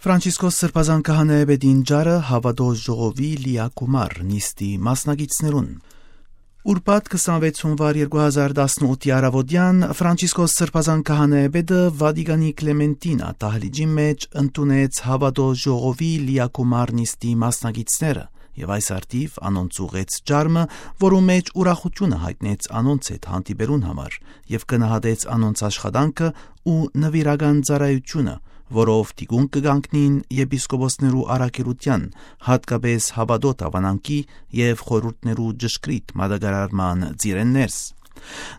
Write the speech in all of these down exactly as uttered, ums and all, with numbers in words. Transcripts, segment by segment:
Ֆրանցիսկոս Սրբազան քահանայապետին ճառը հաւատոյ ժողովի լիակումար նիստի մասնակիցներուն։ Ուրբաթ քսանվեց հունուար երկու հազար տասնութի առաւօտեան Ֆրանցիսկոս Սրբազան քահանայապետը Վատիկանի Կլեմենտինա դահլիճին մէջ ընդունեց հաւատոյ ժողովի լիակումար նիստի մասնակիցները եւ այս առթիւ անոնց ուղղեց ճառ մը, որու մէջ ուրախութիւնը յայտնեց անոնց հետ հանդիպելուն համար եւ գնահատեց անոնց աշխատանքը ու նուիրական ծառայութիւնը, որով թիկունք կը կանգնին եպիսկոպոսներու առաքելութեան, յատկապէս հաւատոյ դաւանանքի եւ խորհուրդներու ճշգրիտ մատակարարման ծիրէն ներս։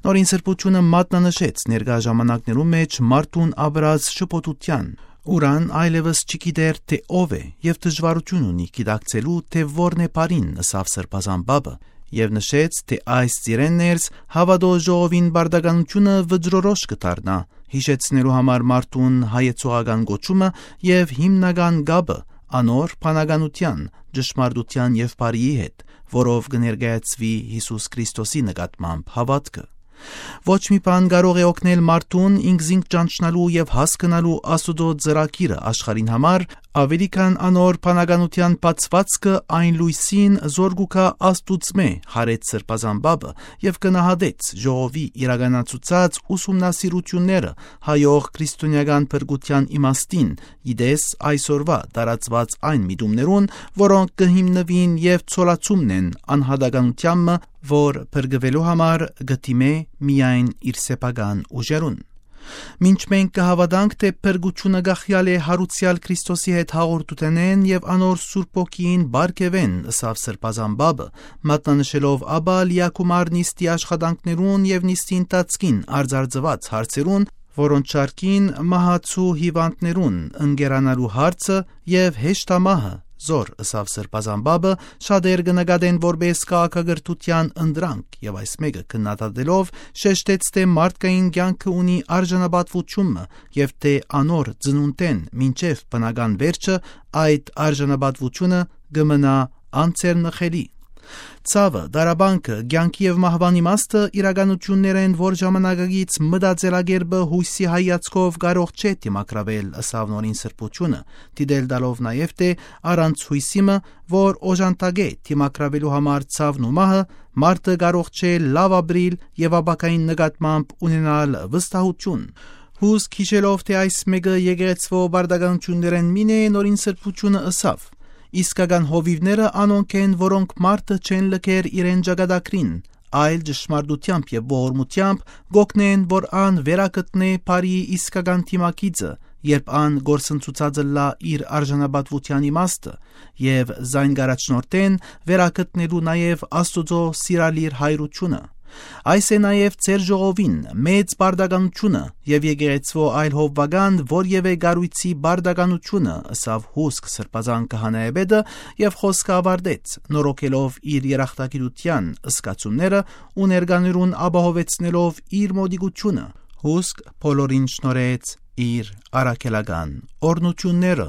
Նորին Սրբութիւնը մատնանշեց ներկայ ժամանակներու մէջ մարդուն ապրած շփոթութեան, ուրան այլեւս չի գիտեր, թէ ով է եւ դժուարութիւն ունի գիտակցելու, թէ որն է բարին, ըսաւ Սրբազան Պապը, եւ նշեց, թէ այս ծիրէն ներս հաւատոյ ժողովին պարտականութիւնը վճռորոշ կը դառնայ, յիշեցնելու համար մարդուն հայեցողական կոչումը եւ հիմնական կապը անոր բանականութեան, ճշմարտութեան եւ բարիի հետ, որով կը ներկայացուի Յիսուս Քրիստոսի նկատմամբ հաւատքը։ Ոչ մի բան կարող է օգնել մարդուն ինքզինք ճանչնալու եւ հասկնալու Աստուծոյ ծրագիրը աշխարհին համար, աւելի քան անոր բանականութեան բացուածքը այն լոյսին, զոր կու գայ Աստուծմէ, յարեց Սրբազան Պապը եւ գնահատեց ժողովի իրականացուցած ուսումնասիրութիւնները հայոյ քրիստոնէական փրկութեան իմաստին, ի տես այսօրուայ տարածուած այն միտումներուն, որոնք կը հիմնուին եւ ցոլացումն են անհատականութեան մը, որ փրկուելու համար կը դիմէ միայն իր սեփական ուժերուն։ Մինչ մենք կը հաւատանք, թէ փրկութիւնը կախեալ է յարուցեալ Քրիստոսի հետ հաղորդութենէն եւ անոր Սուրբ Հոգիին պարգեւէն, ըսաւ Սրբազան Պապը, մատնանշելով ապա լիակումար նիստի աշխատանքներուն եւ նիստի ընթացքին արծարծուած հարցերուն, որոնց շարքին մահացու հիւանդներուն ընկերանալու հարցը եւ հեշտամահը զոր, ըսաւ Սրբազան Պապը, շատեր կը նկատեն որպէս քաղաքակրթութեան ընտրանք եւ այս մէկը քննադատելով շեշտեց, թէ մարդկային կեանքը ունի արժանապատուութիւն մը եւ թէ անոր ծնունդէն մինչեւ բնական վերջը այդ արժանապատուութիւնը կը մնայ անցերնխելի։ Ցաւը, տառապանքը, կեանքի եւ մահուան իմաստը իրականութիւններ են, որ ժամանակակից մտածելակերպը յոյսի հայացքով կարող չէ դիմագրավել, ըսաւ Նորին Սրբութիւնը, դիտել տալով նաեւ, թէ առանց յոյսի մը, որ օժանդակէ դիմագրաւելու համար ցաւն ու մահը, մարդը կարող չէ լաւ ապրիլ եւ ապագային նկատմամբ ունենալ վստահութիւն։ Հուսկ յիշելով, թէ այս մէկը եկեղեցւոյ պարտականութիւններէն մին է, Նորին Սրբութիւնը ըսաւ. «Իսկական հովիւները անոնք են, որոնք մարդը չեն լքեր իրեն ճակատագրին, այլ ճշմարտութեամբ եւ ողորմութեամբ կ'օգնեն, որ ան վերագտնէ բարիի իսկական դիմագիծը, երբ ան կորսնցուցած ըլլայ իր արժանապատուութեան իմաստը, եւ զայն կ'առաջնորդեն վերագտնելու նաեւ Աստուծոյ սիրալիր հայրութիւնը։ Այս է նաեւ ձեր ժողովին մեծ պարտականութիւնը եւ եկեղեցւոյ այլ հովուական որեւէ կառոյցի պարտականութիւնը», ըսաւ հուսկ Սրբազան քահանայապետը եւ խօսքը աւարտեց, նորոգելով իր երախտագիտութեան զգացումները ու ներկաներուն ապահովեցնելով իր մօտիկութիւնը, հուսկ բոլորին շնորհեց իր առաքելական օրհնութիւնները։